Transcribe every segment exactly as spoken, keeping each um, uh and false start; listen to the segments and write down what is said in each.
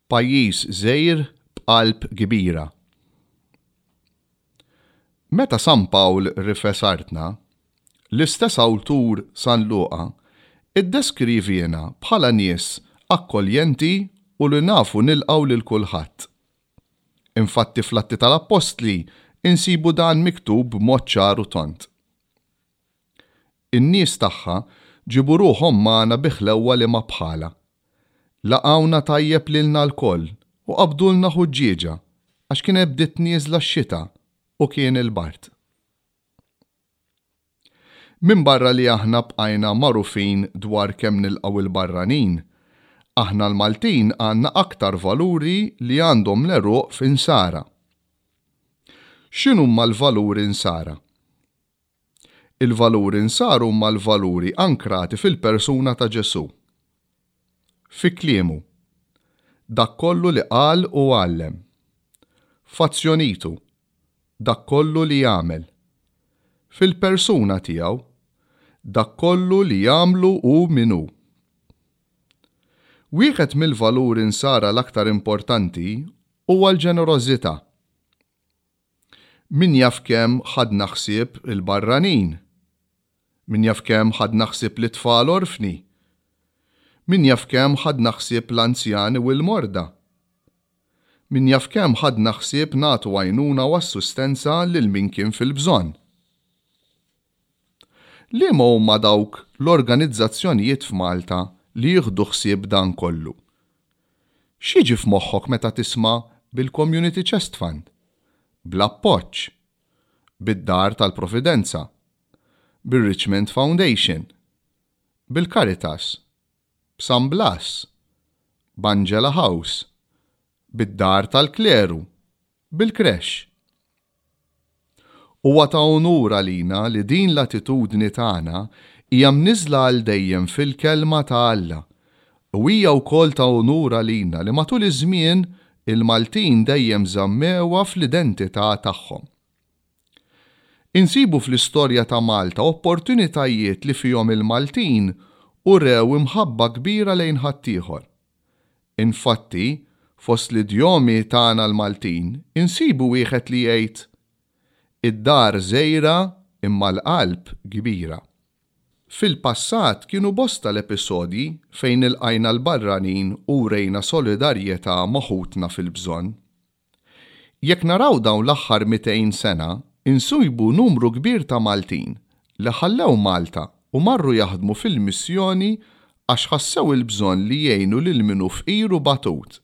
Pajjiż żgħir b'qalb kbira. Meta San Pawl rifes artna, l-istess awtur San Luqa iddeskriviena bħala nies akkoljenti u li nafu nilqgħu lil kulħadd. Infatti fl-Atti tal-Appostli insibu dan miktub b'mod ċar u tond. In-nies tagħha ġiebu ruħhom magħna bi ħlewwa li ma bħalha. Laqgħuna tajjeb lilna lkoll u qabdulna ħuġġieġa għax kienet bdiet nieżla x-xita u kien il-bard. Minbarra li aħna bqajna magħrufin dwar kemm nilqgħu il-barranin, aħna l-Maltin għandna aktar valuri li għandhom l-għeruq f'insara. X'inhuma l-valuri nsara? Il-valuri nsara huma l-valuri ankrati fil-persuna ta' Ġesù. Fi kliemu, dak kollu li qal u għallem. F'azzjonitu, dak kollu li jagħmel. Fil-persuna tiegħu, dak kollu li jagħmlu hu min hu. Wieħed mill-valuri nsara l-aktar importanti huwa l-ġenerożità. Min jaf kemm ħadna ħsieb il-barranin? Min jaf kemm ħadna ħsieb l-itfal orfni? Min jaf kemm ħadna ħsieb l-anzjani u l-morda? Min jaf kemm ħadna ħsieb nagħtu għajnuna u assistenza lil min kien fil-bżonn? Liema huma dawk l-organizzazzjonijiet f'Malta li jieħdu ħsieb dan kollu? X'jiġi f'moħħok meta tisma' bil-Community Chest Fund? Bl-Appoġġ? Bid-Dar tal-Providenza? Bir-Richmond Foundation? Bil-Caritas? B'San Blas? B'Angela House? Bid-Dar tal-Kleru? Bil-Creche? Huwa ta' unur għalina li din l-attitudni tagħna hija mniżżla għal dejjem fil-Kelma ta' Alla u hija wkoll ta' unur għalina li matul iż-żmien il-Maltin dejjem żammewha fl-identità tagħhom. Insibu fl-istorja ta' Malta opportunitajiet li fihom il-Maltin urew imħabba kbira lejn ħaddieħor. Infatti, fost l-idjomi tagħna l-Maltin insibu wieħed li jgħid id-dar żgħira imma l-qalb kbira. Fil-passat kienu bosta l-episodji fejn ilqajna l-barranin u wrejna solidarjetà ma' ħutna fil-bżonn. Jekk naraw dawn l-aħħar mitejn sena, insibu numru kbir ta' Maltin li ħallew Malta u marru jaħdmu fil-missjoni għax ħassew il-bżonn li jgħinu lil min hu fqir u batut.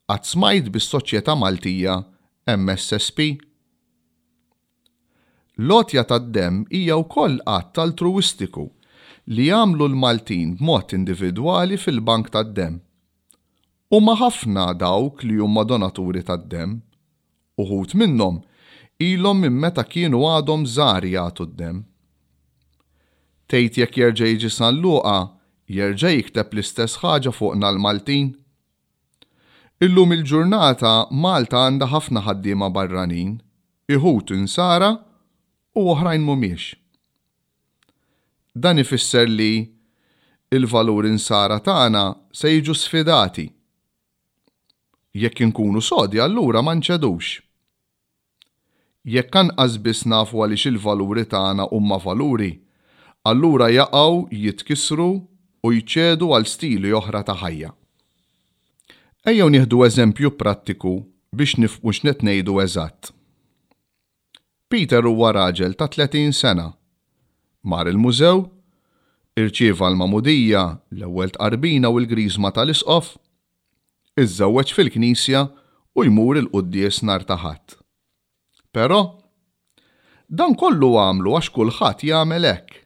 Qatt smajt bis-Soċjetà Maltija M S S P? L-għotja tad-demm hija wkoll att altruwistiku li jagħmlu l-Maltin b'mod individwali fil-bank tad-demm. Huma ħafna dawk li huma donaturi tad-demm. Uħud minnhom ilhom minn meta kienu għadhom żgħar jagħtu d-demm. Tgħid jekk jerġa' jiġi San Luqa, jerġa' jikteb l-istess ħaġa fuqna l-Maltin? Illum il-ġurnata Malta għandha ħafna ħaddiema barranin, iħut insara u oħrajn mhumiex. Dan ifisser li il-valuri insara tagħna se jiġu sfidati. Jekk inkunu sodi allura ma nċedux. Jekk anqas biss nafu għaliex il-valuri tagħna huma valuri, allura jaqgħu jitkissru u jċedu għal stili oħra ta' ħajja. Ejjew nieħdu eżempju prattiku biex nifhmu x'qed ngħidu eżatt. Peter huwa raġel ta' tletin sena. Mar il-mużew, irċieva l-magħmudija, l-ewwel tqarbina u l-griżma tal-isqof, iżżewweġ fil-knisja u jmur il-quddies nhar ta' Ħadd. Però, dan kollu għamlu għax kulħadd jagħmel hekk.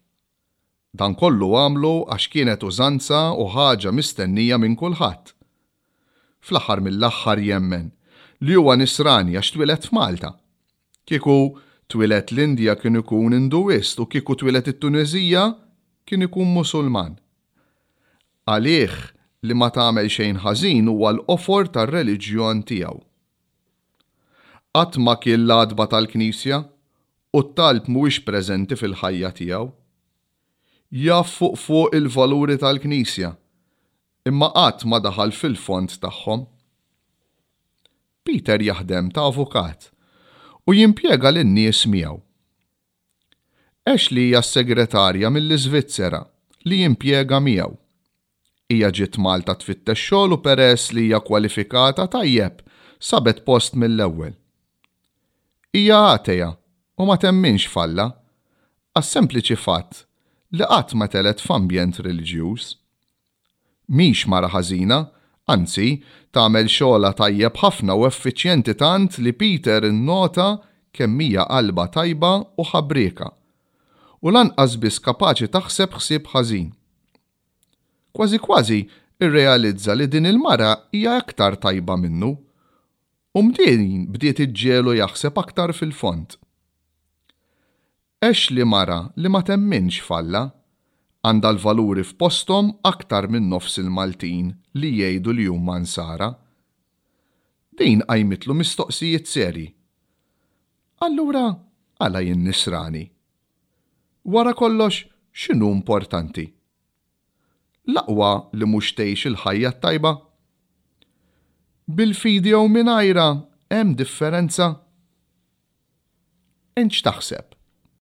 Dan kollu għamlu għax kienet użanza u ħaġa mistennija minn kulħadd. Fl-aħħar mill-aħħar jemmen li huwa nisrani għax twieled f'Malta. Kieku twieled l-Indja kien ikun Induist u kieku twieled it-Tuneżija kien ikun Musulman. Għalih li ma tagħmel xejn ħażin huwa l-qofor tar-reliġjon tiegħu. Qatt ma kien l-għatba tal-Knisja u t-talb mhuwiex preżenti fil-ħajja tiegħu. Jaf fuq fuq il-valuri tal-Knisja, imma qatt ma daħal fil-fond tagħhom. Peter jaħdem ta' avukat u jimpjega lin-nies miegħu. Ashley hija s-segretarja mill-Iżvizzera li jimpjega miegħu. Hija ġiet Malta tfittex xogħol u peress li hija kwalifikata tajjeb, sabet post mill-ewwel. Hija atea u ma temminx f'Alla, għas-sempliċi fatt li qatt ma telgħet f'ambjent reliġjuż. Mhix mara ħażina, anzi, tagħmel xogħolha tajjeb ħafna u effiċjenti tant li Peter innota kemm hija qalbha tajba u ħabrieka. U lanqas biss kapaċi taħseb ħsieb ħażin. Kważi kważi irrealizza li din il-mara hija aktar tajba minnu. U din bdiet iġġiegħlu jaħseb aktar fil-fond. Ashley mara li ma temminx f'Alla, għandha l-valuri f'posthom aktar minn nofs il-Maltin li jgħidu li huma nsara. Din qajmitlu mistoqsijiet serji. Allura għala jien nisrani? Wara kollox, x'inhu importanti? L-aqwa li mhux tgħix il-ħajja t-tajba? Bil-fidi jew mingħajrha hemm differenza? Int x'taħseb?